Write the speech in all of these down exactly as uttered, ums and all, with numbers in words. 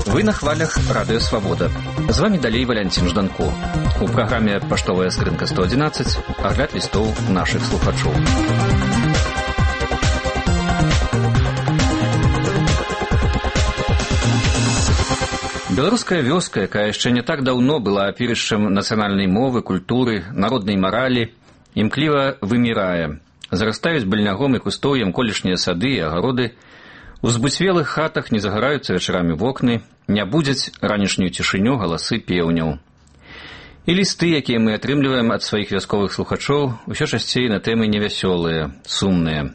Вы на хвалях Радио Свобода. З вами далей Валянцін Жданко. У праграме «Паштовая скрынка сто одиннадцать» агляд лістоў нашых слухачоў. Беларуская вёска, якая яшчэ не так даўно была апірышчам нацыянальнай мовы, культуры, народнай маралі, імкліва вымірае. Зарастаюць быльнягом і кустоўем колішнія сады і агароды, у збуцвелых хатах не загараюцца вечарамі вокны, не будзяць ранішнюю цішыню галасы пеўняў. І лісты, якія мы атрымліваем ад сваіх вясковых слухачоў, усё часцей на тэмы невясёлыя, сумныя.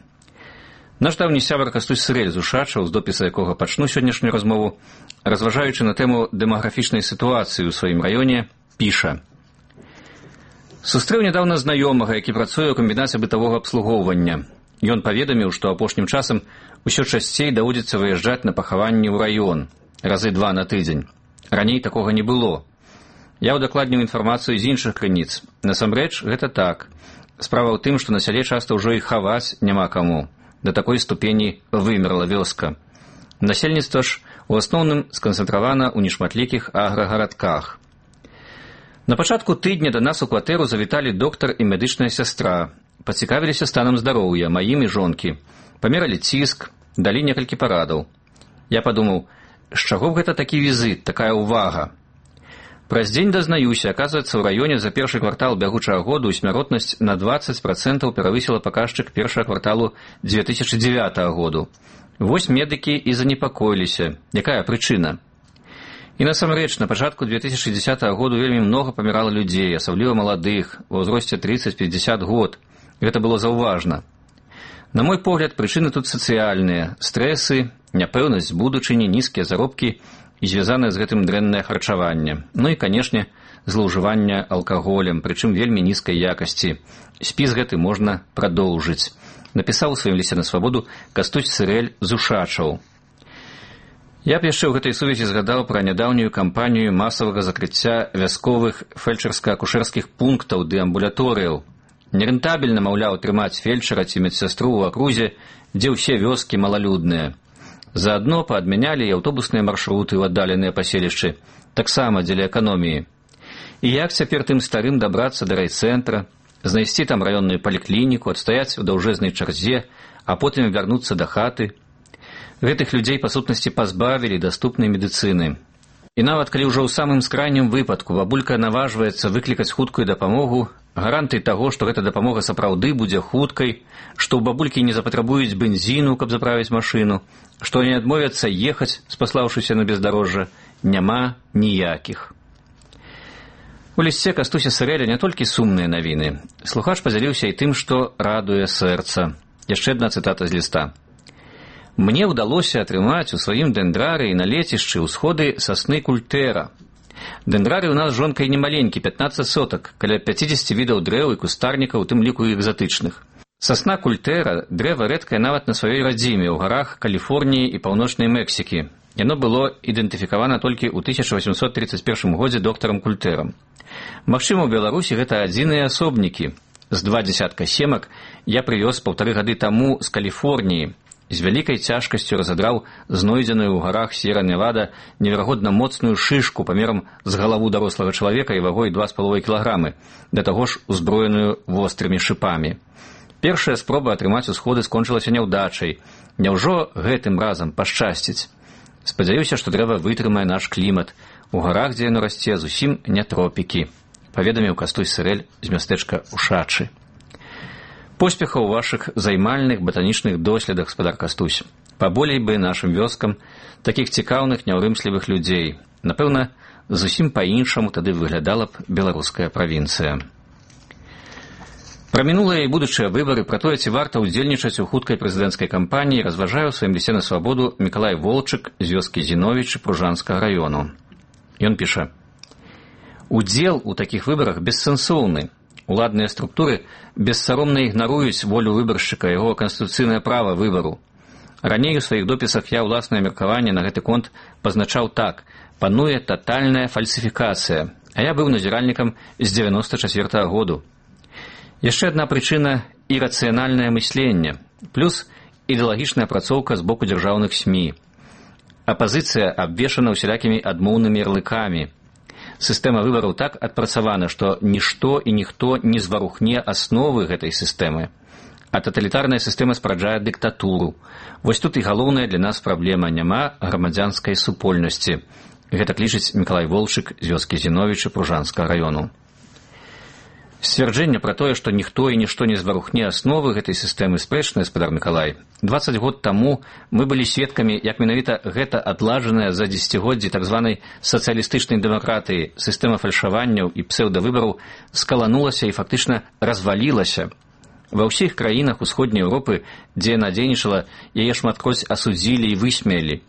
Наш даўні сябар Кастусь Сырэль з Ушачаў, з допіса якога пачну сённяшнюю размову, разважаючы на тэму дэмаграфічнай сітуацыі ў сваім раёне, піша: «Сустрэў нядаўна знаёмага, які працуе ў камбінаце бытавога абслугоўвання. Ён паведаміў, што апошнім часам усё часцей даводзіцца выязджаць на пахаванні ў раён, разы два на тыдзень. Раней такога не было. Я ўдакладніў інфармацыю з іншых крыніц. Насамрэч, гэта так. Справа ў тым, што на сяле часта ўжо і хаваць няма каму. Да такой ступені вымерла вёска. Насельніцтва ж у асноўным сканцэнтравана ў нешматлікіх аграгарадках. На пачатку тыдня да нас у кватэру завіталі доктар і медычная сястра. Пацікавіліся станам здароўя маім і жонкі. Памералі ціск, далі некалькі парадаў. Я падумаў, з чаго б гэта такі візит, такая ўвага? Праз дзень дазнаюся, аказваецца, ў раёне за першы квартал бягучага году смяротнасць на дваццаць працэнтаў перавысіла паказчык першага кварталу дзве тысячы дзевятага году. Вось медыкі і занепакоіліся. Якая прычына? І насамрэч, на пачатку дзве тысячы дзесятага году вельмі многа памірала людзей, асабліва маладых, ва ўзросце трыццаць-пяцьдзясят год. Гэта было заўважна. На мой погляд, прычыны тут сацыяльныя, стрэсы, няпэўнасць будучыні, нізкія заробкі і звязанае з гэтым дрэннае харчаванне. Ну і, канешне, злоўжыванне алкаголем, прычым вельмі нізкай якасці. Спіс гэты можна прадоўжыць. Напісаў у сваім лісце на свабоду Кастусь Сырэль з Ушачаў. Я б яшчэ ў гэтай сувязі згадаў пра нядаўнюю кампанію масавага закрыцця вясковых фельчарска-акушэрскіх пунктаў ды амбулаторыяў. Нерэнтабельна, маўляў, трымаць фельчара ці медсястру ў акрузе, дзе ўсе вёскі малалюдныя. Заадно паадмянялі і аўтобусныя маршруты ў аддаленыя паселішчы, таксама дзеля эканоміі. І як цяпер тым старым дабрацца да райцэнтра, знайсці там раённую паліклініку, адстаяць у даўжэзнай чарзе, а потым вярнуцца да хаты? Гэтых людзей, па сутнасці, пазбавілі даступнай медыцыны. І нават калі ўжо ў самым скрайнім выпадку бабулька наважваецца выклікаць хуткую дапамогу, гарантый таго, што гэта дапамога сапраўды будзе хуткай, што ў бабулькі не запатрабуюць бензіну, каб заправіць машыну, што не адмовяцца ехаць, спаслаўшыся на бездарожжа, няма ніякіх. У лісце Кастуся Сырэля не толькі сумныя навіны. Слухач падзяліўся і тым, што радуе сэрца. Яшчэ адна цытата з ліста. «Мне ўдалося атрымаць у сваім дэндрары і на лецішчы ўсходы сасны культэра. Дэндрары ў нас з жонкай немаленькі, пятнаццаць сотак, каля пяцідзесяці відаў дрэў і кустарнікаў, у тым ліку і экзатычных. Сасна культэра – дрэва рэдкае нават на сваёй радзіме ў гарах Каліфорніі і паўночнай Мексікі. Яно было ідэнтыфікавана толькі ў тысяча васьмсот трыццаць першым годзе доктарам Культэрам. Магчыма, у Беларусі гэта адзіныя асобнікі. З два дзясятка семак я прывёз паўтары гады таму з Каліфорніі. З вялікай цяжкасцю разадраў знойдзеную ў гарах С'ера-Невада неверагодна моцную шышку памерам з галаву дарослага чалавека і вагой два з паловай кілаграмы, да таго ж узброеную вострымі шыпамі. Першая спроба атрымаць усходы скончылася няўдачай. Няўжо гэтым разам пашчасціць? Спадзяюся, што дрэва вытрымае наш клімат. У гарах, дзе яно расце, зусім не тропікі», паведаміў Кастусь Сырэль з мястэчка Ушачы. Поспехаў у вашых займальных батанічных доследах, спадар Кастусь. Паболей бы нашым вёскам такіх цікаўных, няўрымслівых людзей. Напэўна, зусім па-іншаму тады выглядала б беларуская правінцыя. Пра мінулыя і будучыя выбары, пра тое, ці варта ўдзельнічаць у хуткай прэзідэнцкай кампаніі, разважае ў сваім лісце на свабоду Мікалай Волчык з вёскі Зіновічы Пружанскага раёну. Ён піша: «Удзел у такіх выбарах бессэнсоўны. Уладныя структуры бессаромна ігнаруюць волю выбаршчыка, яго канстытуцыйнае права выбару. Раней у сваіх допісах я ўласнае меркаванне на гэты конт пазначаў так: пануе татальная фальсіфікацыя, а я быў назіральнікам з дзевяноста чацвёртага году. Яшчэ адна прычына – ірацыянальнае мысленне. Плюс ідэалагічная апрацоўка з боку дзяржаўных СМІ. Апазіцыя абвешана ўсялякімі адмоўнымі ярлыкамі. Сістэма выбараў так адпрацавана, што нішто і ніхто не зварухне асновы гэтай сістэмы. А таталітарная сістэма спараджае дыктатуру. Вось тут і галоўная для нас праблема: няма грамадзянскай супольнасці. Гэта лічыць Мікалай Волчык з вёскі Зіновіча Пружанскага раёну. Сцвярджэнне пра тое, што ніхто і нішто не зварухне асновы гэтай сістэмы, спрэчнае, гаспадар Мікалай. дваццаць год таму мы былі сведкамі, як менавіта гэта адладжаная за дзесяцігоддзі так званай сацыялістычнай дэмакратыі сістэма фальшаванняў і псеўдавыбараў скаланулася і фактычна развалілася. Ва ўсіх краінах усходняй Еўропы, дзе яна дзейнічала, яе шматкроць асудзілі і высмеялі.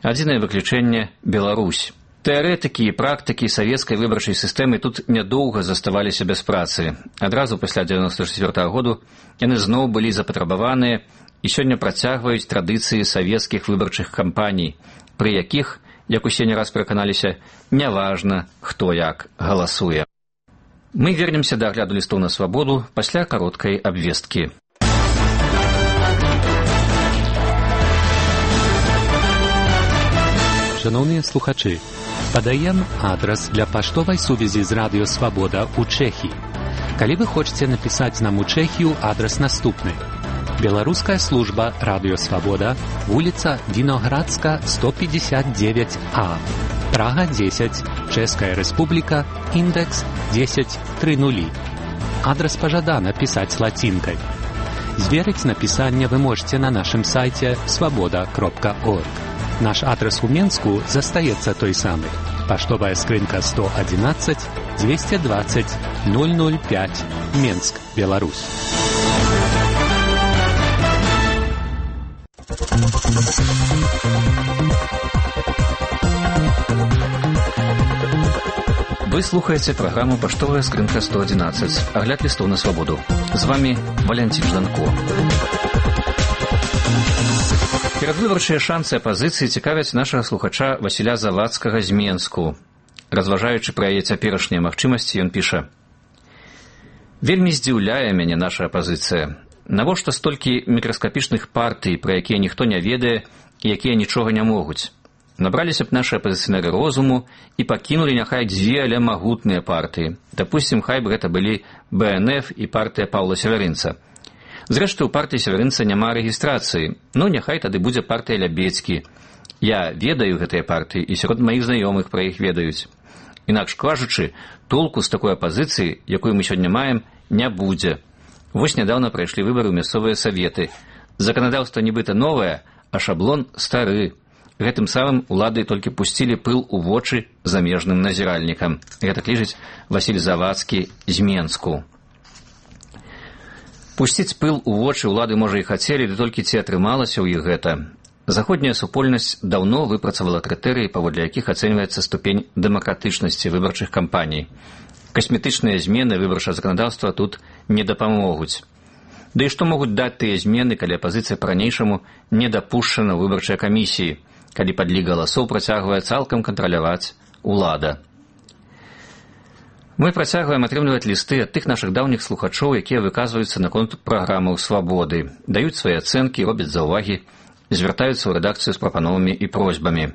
Адзінае выключэнне – Беларусь. Тэарэтыкі і практыкі савецкай выбарчай сістэмы тут нядоўга заставаліся без працы. Адразу пасля дзевяноста чацвёртага году яны зноў былі запатрабаваныя і сёння працягваюць традыцыі савецкіх выбарчых кампаній, пры якіх, як усе не раз пераканаліся, няважна, хто як галасуе. Мы вернемся да агляду лістоў на свабоду пасля кароткай абвесткі. Шановныя слухачы, падаем адрас для паштовай сувязі з Радыё Свабода ў Чэхіі. Калі вы хочаце напісаць нам у Чэхію, адрас наступны. Беларуская служба Радыё Свабода, вуліца Віноградска, сто пятьдесят девять А, Прага дзесяць, Чэшская Рэспубліка, індекс дзесяць тридцать. Адрас пажадана пісаць лацінкай. Зверыць напісанне вы можете на нашым сайце свабода кропка орг. Наш адрес у Менску застаецца той самы. Паштовая скрынка сто одиннадцать двести двадцать ноль ноль пять, Менск, Беларусь. Вы слухаеце праграму «Паштовая скрынка сто одиннадцать». Агляд лістоў на свабоду. З вами Валянцін Жданко. Перадвыбарчыя шансы апазіцыі цікавяць нашага слухача Васіля Завадскага з Менску. Разважаючы пра яе цяперашнія магчымасці, ён піша: «Вельмі здзіўляе мяне наша апазіцыя. Навошта столькі мікраскапічных партый, пра якія ніхто не ведае і якія нічога не могуць? Набраліся б нашы апазіцыянеры розуму і пакінулі няхай дзве, але магутныя партыі. Дапусцім, хай бы гэта былі Бэ Эн Эф і партыя Паўла Северынца. Зрэшты, у партыі Северынца няма рэгістрацыі, ну няхай тады будзе партыя Лябедзькі. Я ведаю гэтыя партыі, і сярод маіх знаёмых пра іх ведаюць. Інакш кажучы, толку з такой апазіцыі, якую мы сёння маем, не будзе. Вось нядаўна прайшлі выбары ў мясцовыя саветы. Заканадаўства нібыта новае, а шаблон стары. Гэтым самым улады толькі пусцілі пыл у вочы замежным назіральнікам. Гэта лічыць Васіль Завадскі з Менску. Пусціць пыл у вочы улады, можа, і хацелі, ды толькі ці атрымалася ў іх гэта. Заходняя супольнасць даўно выпрацавала крытэрыі, паводле якіх ацэньваецца ступень дэмакратычнасці выбарчых кампаній. Касметычныя змены выбарчага заканадаўства тут не дапамогуць. Да і што могуць даць тыя змены, калі апазіцыя па-ранейшаму не дапушчана ў выбарчай камісіі, калі падлік галасоў працягвае цалкам кантраляваць улада. Мы працягваем атрымліваць лісты ад тых нашых даўніх слухачоў, якія выказваюцца наконт праграмаў свабоды, даюць свае ацэнкі, робяць заўвагі, звяртаюцца ў рэдакцыю з прапановамі і просьбамі.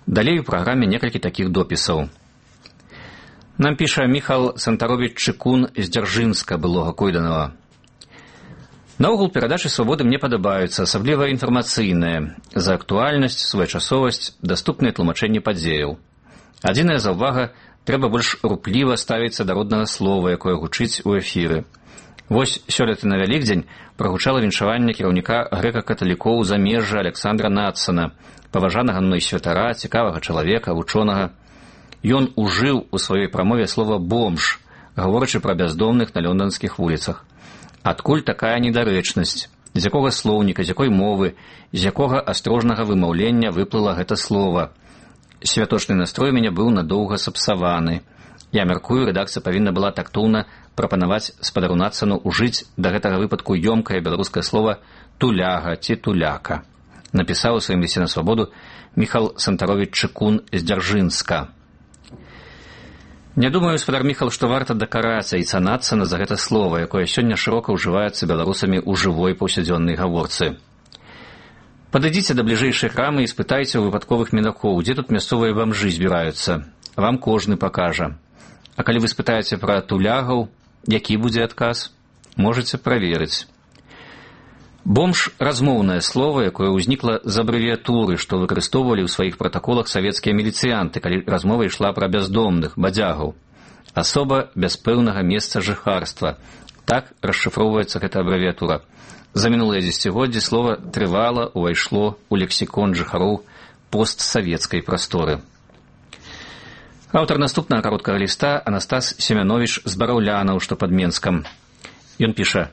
Далей у праграме некалькі такіх допісаў. Нам піша Міхал Сантаровіч Чыкун з Дзяржынска, былога Койданова. Наогул перадачы свабоды мне падабаюцца, асабліва інфармацыйныя, за актуальнасць, своечасовасць, даступныя тлумачэнні падзеяў. Адзіная заўвага – трэба больш рупліва ставіцца да роднага слова, якое гучыць у эфіры. Вось сёлета на Вялікдзень прагучала віншаванне кіраўніка грэка-каталікоў замежжа Александра Надсона, паважанага мной святара, цікавага чалавека, вучонага. Ён ужыў у сваёй прамове слова «бомж», гаворачы пра бяздомных на лонданскіх вуліцах. Адкуль такая недарэчнасць? З якога слоўніка, з якой мовы, з якога астрожнага вымаўлення выплыла гэта слова? Святочны настрой у мяне быў надоўга сапсаваны. Я мяркую, рэдакцыя павінна была тактоўна прапанаваць спадару Надсону ужыць да гэтага выпадку ёмкае беларускае слова «туляга» ці «туляка». Напісаў у сваім лісце на свабоду Міхал Сантаровіч Чыкун з Дзяржынска. Не думаю, гаспадар Міхал, што варта дакарацца і цанацца на за гэта слова, якое сёння шырока ўжываецца беларусамі ў жывой паўсядзённай гаворцы. Падыдзіце да бліжэйшай крамы і спытайце ў выпадковых мінакоў, дзе тут мясцовыя бамжы збіраюцца. Вам кожны пакажа. А калі вы спытаеце пра тулягаў, які будзе адказ, можаце праверыць. Бомж – размоўнае слово, якое ўзнікла з абрэвіятуры, што выкарыстоўвалі ў сваіх пратаколах савецкія міліцыянты, калі размова ішла пра бяздомных, бадзягаў. Асоба без пэўнага месца жыхарства. Так расшыфроўваецца гэта абрэвіятура. За мінулыя дзесяцігоддзі слова трывала ўвайшло ў лексікон жыхароў постсавецкай прасторы. Аўтар наступнага кароткага ліста Анастас Семяновіч з Бараўлянаў, што пад Менскам. Ён піша: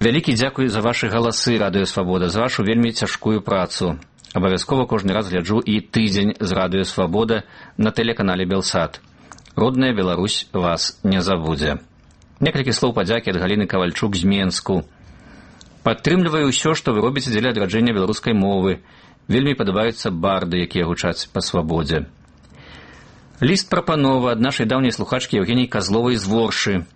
«Вялікі дзякуй за вашы галасы, Радыё Свабода, за вашу вельмі цяжкую працу. Абавязкова кожны раз гляджу і тыдзень з Радыё Свабода на тэлеканале Белсат. Родная Беларусь вас не забудзе». Некалькі слоў падзякі ад Галіны Кавальчук з Менску. «Падтрымліваю ўсё, што вы робіце дзеля адраджэння беларускай мовы. Вельмі падабаюцца барды, якія гучаць па свабодзе». Ліст прапанова ад нашай даўняй слухачкі Евгеніі Казловай з Воршы.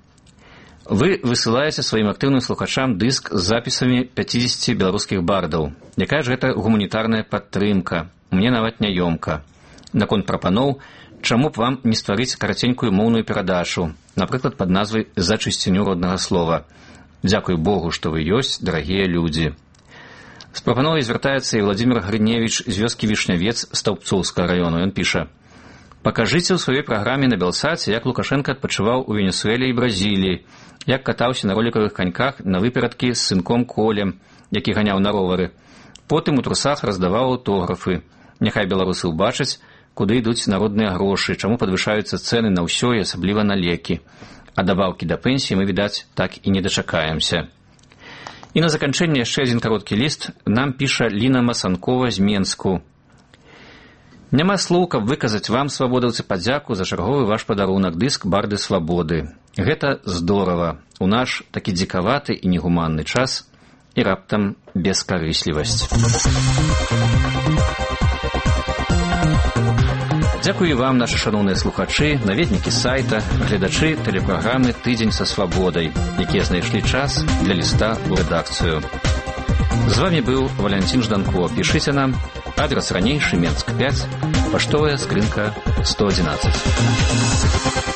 Вы высылаеце сваім актыўным слухачам дыск з запісамі пяцідзесяці беларускіх бардаў. Якая ж гэта гуманітарная падтрымка? Мне нават няёмка. Наконт прапаноў, чаму б вам не стварыць караценькую моўную перадачу, напрыклад, пад назвай «За чысціню роднага слова». Дзякуй Богу, што вы ёсць, дарагія людзі. З прапановай звяртаецца і Владзімир Грыневіч з вёскі Вішнявец Стаўбцоўскага раёну. Ён піша: «Пакажыце ў сваёй праграме на Белсаце, як Лукашенка адпачываў у Венесуэле і Бразіліі, як катаўся на ролікавых каньках на выперадкі з сынком Колем, які ганяў на ровары. Потым у трусах раздаваў аўтографы. Няхай беларусы ўбачаць, куды ідуць народныя грошы, чаму падвышаюцца цэны на ўсё і асабліва на лекі. А дабаўкі да пенсіі мы, відаць, так і не дачакаемся». І на заканчэнне яшчэ адзін кароткі ліст нам піша Ліна Масанкова з Менску. «Няма слоў, каб выказаць вам, свабодаўцы, падзяку за чарговы ваш падарунак, дыск «Барды свабоды». Гэта здорава. У наш такі дзікаваты і негуманны час і раптам бескарыслівасць». Дзякую вам, нашы шаноўныя слухачы, наведнікі сайта, гледачы тэлепраграмы «Тыдзень са свабодай», якія знайшлі час для ліста ў рэдакцыю. З вами быў Валянцін Жданко. Пішыце нам. Адрес ранейшы, Менск пяць, паштовая скрынка сто адзінаццаць.